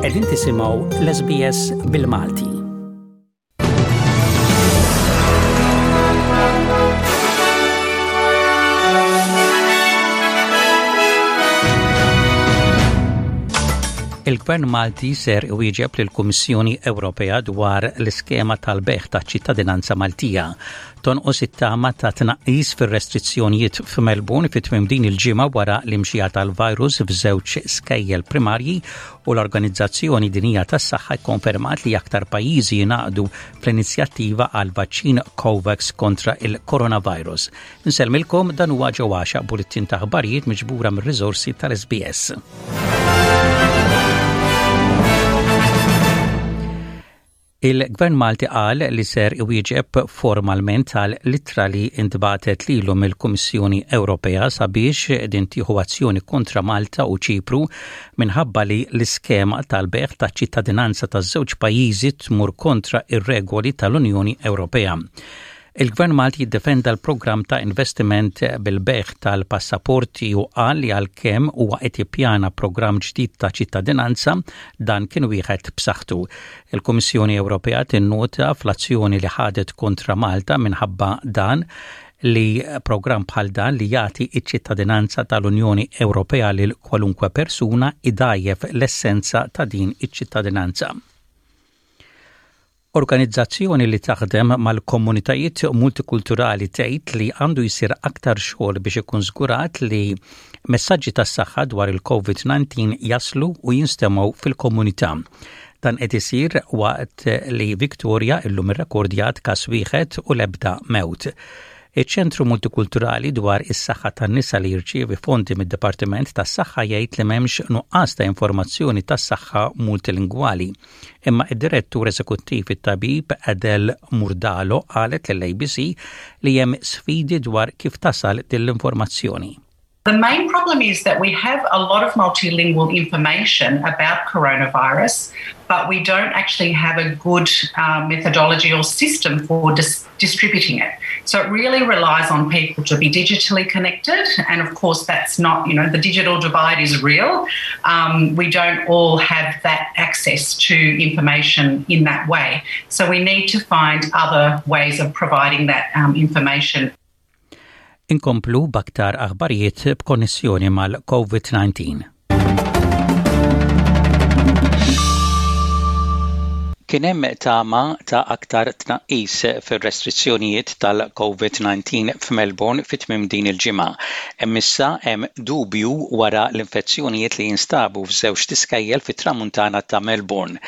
Qegħdin tisimgħu l-SBS bil-Malti. Il-Gvern Malti ser iwieġeb lill-Kummissjoni Ewropea dwar l-iskema tal-bejgħ taċ-ċittadinanza Maltija. Tonqos it-tama ta' tnaqqis fir-restrizzjonijiet f'Melbourne fi tmiem din il-ġimgħa wara l-imxija tal-virus f'żewġ skejjel primarji u l-Organizzazzjoni Dinjija tas-Saħħa kkonfermat li aktar pajjiżi jingħaqdu fl-inizjattiva għal vaċċin COVAX kontra il-coronavirus. Nsellmilkom dan huwa ġo għaxaq bulletin ta' aħbarijiet miġbura mir-riżorsi tal-SBS. Il-Gvern Malti qal li ser iwieġeb formalment għal littra li intbatet lilu mill-Kummissjoni Ewropea sabiex din tieħu azzjoni kontra Malta u Ċipru minħabba li l-iskema tal-bejgħ taċ-ċittadinanza taż-żewġ pajjiżi tmur kontra ir-regoli tal-Unjoni Ewropea. Il-Gvern Malti jiddefenda l-programm ta' investiment bil-bejgħ tal-passaporti u qal li għalkemm huwa qed jippjana programm ġdid ta' ċittadinanza, dan kien wieħed b'saħħtu. Il-Kummissjoni Ewropea tinnota fl-azzjoni li ħadet kontra Malta minħabba dan li programm bħal dan li jagħti ċ-ċittadinanza tal-Unjoni Ewropea lil kwalunkwe persuna idgħajjef l-essenza ta' din iċ-ċittadinanza. Organizzazzjoni li taħdem mal-komunitajiet multikulturali tgħid li għandu jsir aktar xogħol biex ikun żgurat li messaġġi tas-saħħa dwar il-COVID-19 jaslu u jinstemgħu fil-komunità. Dan qed isir waqt li Victoria illum irrekordjat każ wieħed u l-ebda mewt. Iċ-Ċentru Multikulturali dwar is-Saħħa tan-Nisa li jirċievi fondi mid-Dipartiment tas-Saħħa jgħid li m'hemmx nuqqas ta' informazzjoni tas-saħħa multilingwali. Imma id-direttur eżekuttiv it-tabib Adele Murdalo qalet lill-ABC li hemm sfidi dwar kif tasal din l-informazzjoni. The main problem is that we have a lot of multilingual information about coronavirus, but we don't actually have a good uh, methodology or system for dis distributing it. So it really relies on people to be digitally connected. And of course, that's not, you know, the digital divide is real. Um, we don't all have that access to information in that way. So we need to find other ways of providing that um, information. Inkomplu b'aktar aħbarijiet b'konnessjoni mal-COVID-19. Kien hemm tama ta' aktar tnaqqis fir-restrizzjonijiet tal-COVID-19 f'Melbourne fi tmiem din il-ġimgħa. Imma issa hemm dubju wara l-infezzjonijiet li jinstabu f'żewġt iskejjel fit-Tramuntana ta' Melbourne.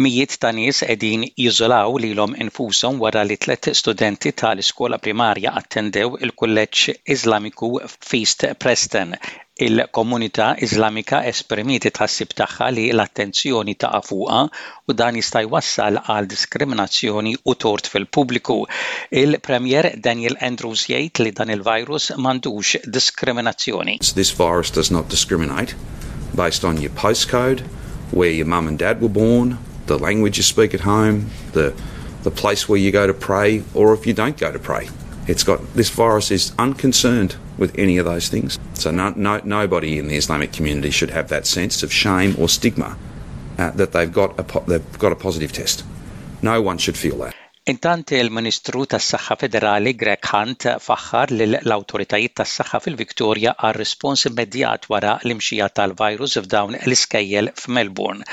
Mijiet ta' nies qegħdin jiżolaw lilhom infushom wara li tlett studenti ta' l-iskola primarja attendew il-kulleġġ Iżlamiku f'East Preston. Il-komunità Iżlamika esprimiet it-tħassib tagħha li l-attenzjoni taqa' fuqha u dan jista' jwassal għal diskriminazzjoni u tort fil-pubbliku. Il-Premier Daniel Andrews jgħid li dan il-virus m'għandux diskriminazzjoni. This virus does not discriminate based on your postcode, where your mum and dad were born, the language you speak at home, the the place where you go to pray, or if you don't go to pray. It's got this virus is unconcerned with any of those things. So no, no, nobody in the Islamic community should have that sense of shame or stigma uh, that they've got a they've got a positive test. No one should feel that. Intant il-Ministru tas-Saħħa Federali Greg Hunt faħħar lill-awtoritajiet tas-saħħa fil-Victoria għar-rispons immedjat wara l-imxija tal-virus f'dawn l-iskejjel f'Melbourne.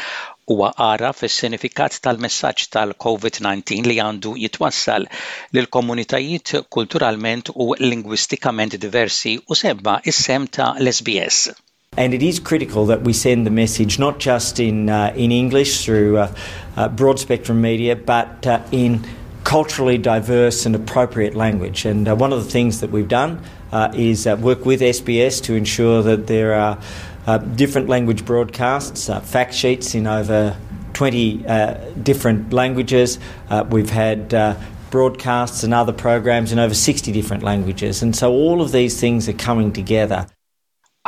Huwa għaraf is-sinifikat tal-messaġġ tal-COVID-19 li għandu jitwassal lil komunitajiet kulturalment u lingwistikament diversi u semma s-sehem ta' l-SBS. And it is critical that we send the message not just in, uh, in English through uh, uh, broad spectrum media, but uh, in culturally diverse and appropriate language. And uh, one of the things that we've done uh, is uh, work with SBS to ensure that there are uh, different language broadcasts, uh, fact sheets in over 20 uh, different languages. Uh, we've had uh, broadcasts and other programs in over 60 different languages. And so all of these things are coming together.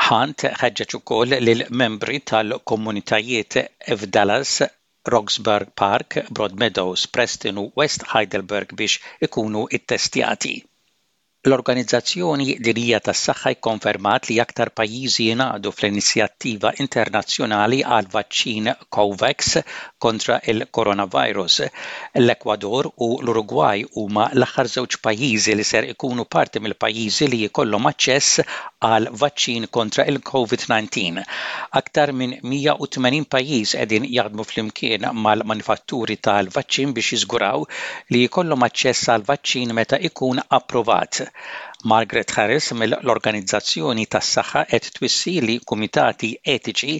Hunt ħeġġeġ ukoll lill-membri tal-komunitajiet f'Dallas, Roxburgh Park, Broadmeadows, Preston u West Heidelberg biex ikunu ttestjati. L-Organizzazzjoni Dinjija tas-Saħħa kkonfermat li aktar pajjiżi jingħaqdu fl-inizjattiva internazzjonali għal vaċċin COVAX kontra l-coronavirus. L-Ekwador u l-Urugwaj huma l-aħħar żewġ pajjiżi li ser ikunu parti mill-pajjiżi li jkollhom aċċess għal vaċċin kontra il-COVID-19. Aktar minn 180 pajjiż qegħdin jaħdmu flimkien mal-manifatturi tal-vaċċin biex jiżguraw li jkollhom aċċess għall-vaċċin meta ikun approvat. Margaret Harris mill-Organizzazzjoni tas-Saħħa qed twissi li kumitati etiċi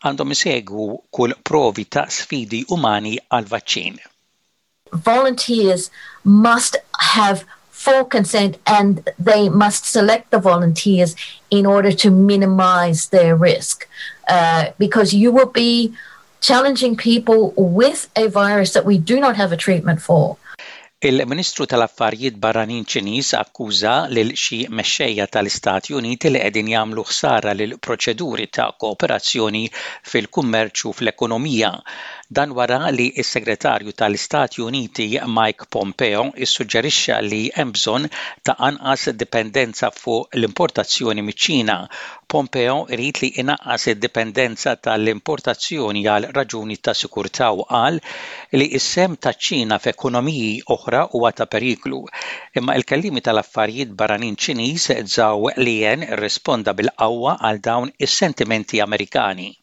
għandhom isegwu kull provi ta' sfidi umani għall-vaċċin. Volunteers must have full consent and they must select the volunteers in order to minimize their risk. Uh, because you will be challenging people with a virus that we do not have a treatment for. Il-Ministru tal-Affarijiet Barranin Ċiniż akkuża lil xi mexxejja tal-Istati Uniti li qegħdin jagħmlu ħsara lil proċeduri ta' kooperazzjoni fil-kummerċ u fl-ekonomija. Dan wara li s-Segretarju tal-Istati Uniti Mike Pompeo issuġġerixxa li hemm bżonn ta' anqas dipendenza fuq l-importazzjoni miċ-Ċina. Pompeo irid li inaqqas id-dipendenza tal-importazzjoni għal raġuni ta' sikurtà u qal li s-sehem taċ-Ċina f'ekonomiji oħra huwa ta' periklu. Imma il-kelliemi tal-Affarijiet Barranin Ċiniż Zhao Lijian irrisponda bil-qawwa għal dawn is-sentimenti Amerikani.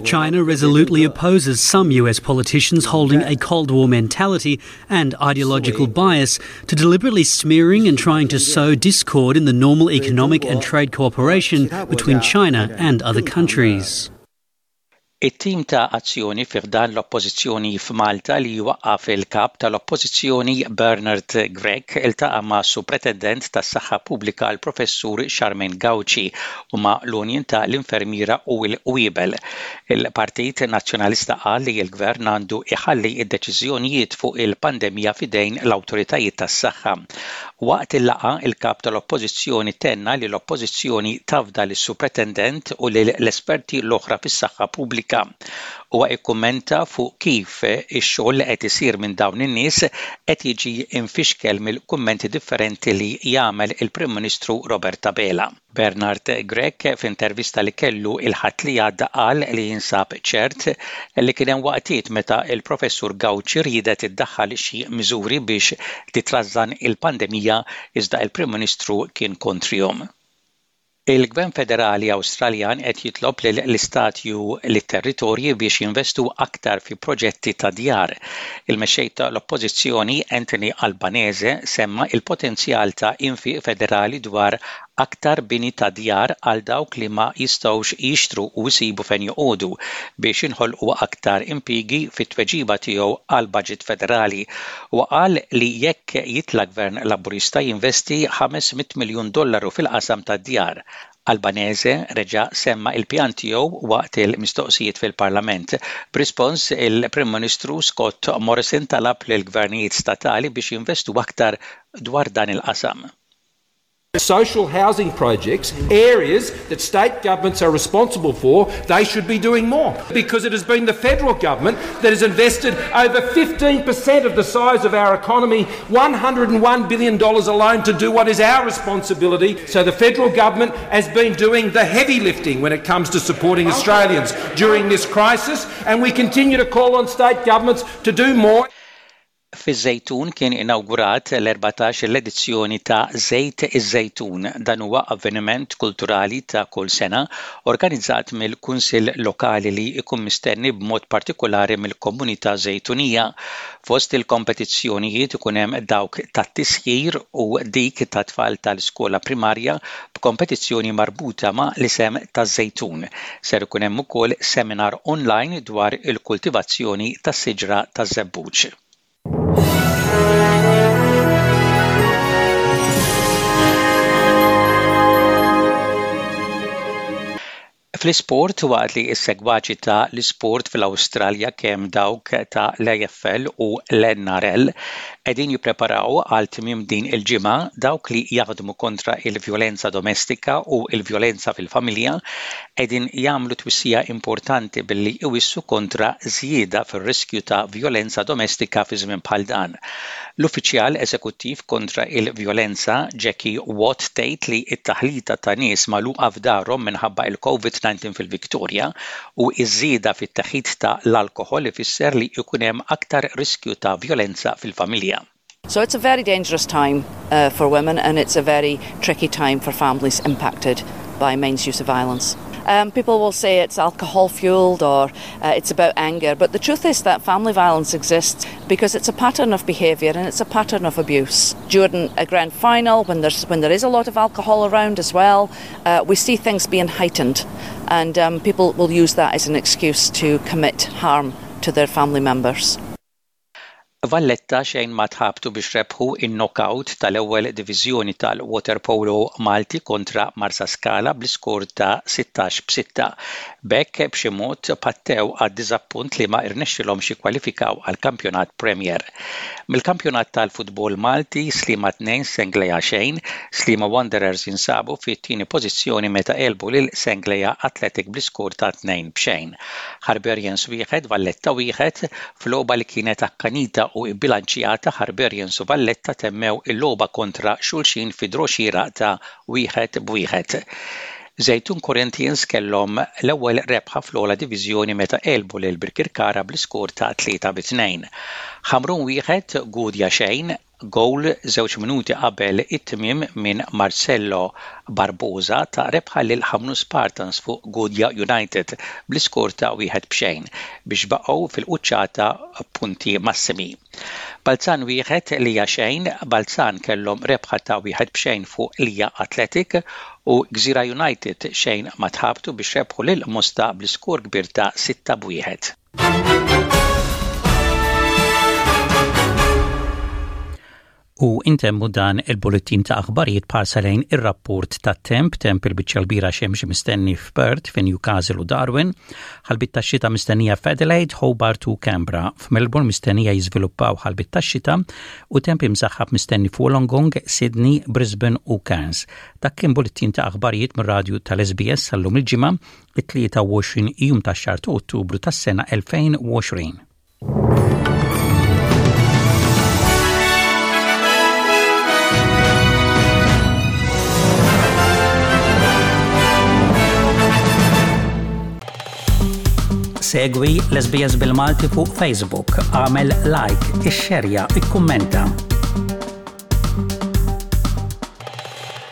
China resolutely opposes some US politicians holding a Cold War mentality and ideological bias to deliberately smearing and trying to sow discord in the normal economic and trade cooperation between China and other countries. It-tim ta' azzjoni fi ħdan l-Oppożizzjoni f'Malta li waqqaf il-Kap tal-Oppożizzjoni Bernard Grech iltaqa' ma' Supretendent tas-Saħħa Pubblika l-Professur Charmaine Gauci u ma' l-Union ta' l-Infermiera u l-Qwiebel. Il-Partit Nazzjonalista qal li l-Gvern għandu jħalli d-deċiżjonijiet fuq il-pandemija f'idejn l-awtoritajiet tas-saħħa. Waqt il-laqgħa, il-Kap tal-Oppożizzjoni tenna li l-Oppożizzjoni tafda lis-Supretendent u lill-esperti l-oħra fis-saħħa pubblika. Huwa kkummenta fuq kif ix-xogħol li qed isir minn dawn in-nies qed jiġi mfixkel mill-kummenti differenti li jagħmel il-Prim Ministru Robert Abela. Bernard Grech f'intervista li kellu il-Ħadd li għadda qal li jinsab ċert li kien hemm waqtiet meta l-Professur Gauci riedet iddaħħal xi miżuri biex titrażżan il-pandemija iżda l-Prim Ministru kien kontrihom. Il-Gvern Federali Awstraljan qed jitlob lill-istati u lit-territorji biex jinvestu aktar fi proġetti ta' djar. Il-Mexxej ta' l-Oppożizzjoni Anthony Albanese semma il-potenzjal ta' infiq federali dwar aktar bini ta' djar għal dawk li ma jistgħux jixtru u jsibu fejn joqogħdu biex jinħolqu aktar impjiegi fit-tweġiba tiegħu għall-baġit federali. Huwa qal li jekk jitla' Gvern Laburista jinvesti 500 miljun dollaru fil-qasam tad-djar. Albanese reġa' semma il-pjan tiegħu waqt il-mistoqsijiet fil-Parlament. B'rispons, il-Prim Ministru Scott Morrison talab lill-gvernijiet statali biex jinvestu aktar dwar dan il-qasam. Social housing projects, areas that state governments are responsible for, they should be doing more. Because it has been the federal government that has invested over 15% of the size of our economy, $101 billion alone to do what is our responsibility. So the federal government has been doing the heavy lifting when it comes to supporting Australians during this crisis, and we continue to call on state governments to do more. Fiż-Żejtun kien inawgurat l-14 l-edizzjoni ta' Żejt iż-Żejtun. Dan huwa avveniment kulturali ta' kull sena organizzat mill-Kunsill Lokali li jkun mistenni b'mod partikolari mill-komunità Żejtunija. Fost il-kompetizzjonijiet ikun hemm dawk tat-tisjir u dik tat-tfal tal-iskola primarja b'kompetizzjoni marbuta ma' l-isem taż-Żejtun. Ser ikun hemm ukoll seminar online dwar il-kultivazzjoni tas-siġra taż-żebbuġ. Fl-isport, waqt li s-segwaċi ta' l-isport fl-Awstralja kemm dawk ta' l-AFL u l-NRL qegħdin jippreparaw għal tmiem din il-ġimgħa, dawk li jaħdmu kontra il-vjolenza domestika u l-vjolenza fil-familja. qegħdin jagħmlu twissija importanti billi iwissu kontra żjieda fir-riskju ta' vjolenza domestika fi żmien bħal dan. L-Uffiċjal Eżekuttiv kontra il-Vjolenza, Jackie Watt tgħid li t-taħlita ta' nies magħluqa f'darhom minħabba il-COVID-19 fil-Victoria u ż-żieda fit-teħid ta' l-alkoħol ifisser li jkun hemm aktar riskju ta' vjolenza fil-familja. So it's a very dangerous time uh, for women and it's a very tricky time for families impacted by men's use of violence. Um, people will say it's alcohol fueled or uh, it's about anger, but the truth is that family violence exists because it's a pattern of behaviour and it's a pattern of abuse. During a grand final, when, there's, when there is a lot of alcohol around as well, uh, we see things being heightened, and um, people will use that as an excuse to commit harm to their family members. Valletta xejn ma tħabtu biex rebħu in-knockout tal-ewwel diviżjoni tal-waterpolo Malti kontra Marsaskala bl-iskor ta' 16 b'6. B'hekk b'xi mod pattew għad-diżappunt li ma rnexxilhomx jikkwalifikaw għall-Kampjonat Premier. Mill-kampjonat tal-futbol Malti, Sliema 2 Senglea xejn, Sliema Wanderers jinsabu fit-tieni pożizzjoni meta għelbu lil Senglea Athletic bl-iskor ta' 2 b'xejn. Harbarians 1, Valletta 1, F'logħba li kienet akkanita u bbilanċjata, Harbarians u Valletta temmew il-logħba kontra xulxin fi draw xieraq ta' wieħed b'wieħed. Żejtun Corinthians kellhom l-ewwel rebħa fl-ogħla diviżjoni meta għelbu lil Birkirkara bl-iskor ta' 3 bi 2. Ħamrun wieħed, Gudja xejn, Gowl żewġ minuti qabel it-tmiem minn Marcelo Barbosa ta rebħa lil Ħamrun Spartans fuq Gudja United bl-iskor ta' wieħed b'xejn biex baqgħu fil-quċċata b'punti massimi. Balzan wieħed, Lija xejn, Balzan kellhom rebħa ta' wieħed b'xejn fuq Lija Athletic u Gżira United xejn ma tħabtu biex rebħu lil Mosta bl-iskor kbir ta' sitta b'wieħed. U intemmu dan il-bulletin ta' aħbarijiet b'ħarsa lejn ir-rapport tat-temp, temp il-biċċa l-kbira xemx mistenni f'Perth, fi Newcastle u Darwin, ħalbit tax-xita mistennija f'Adelaide, Hobart u Canberra. F'Melbourne mistennija jiżviluppaw ħalbit tax-xita u temp imsaħħab mistenni f'Wollongong, Sydney, Brisbane u Cairns. Dak kien bulletin ta' aħbarijiet mir-radju tal-SBS sal-lum il-ġimgħa it-23 jum tax-xahar ta' Ottubru tas-sena 2020. Segwi l-SBS bil-Malti fuq Facebook, għamel like, ixxerja, ikkummenta.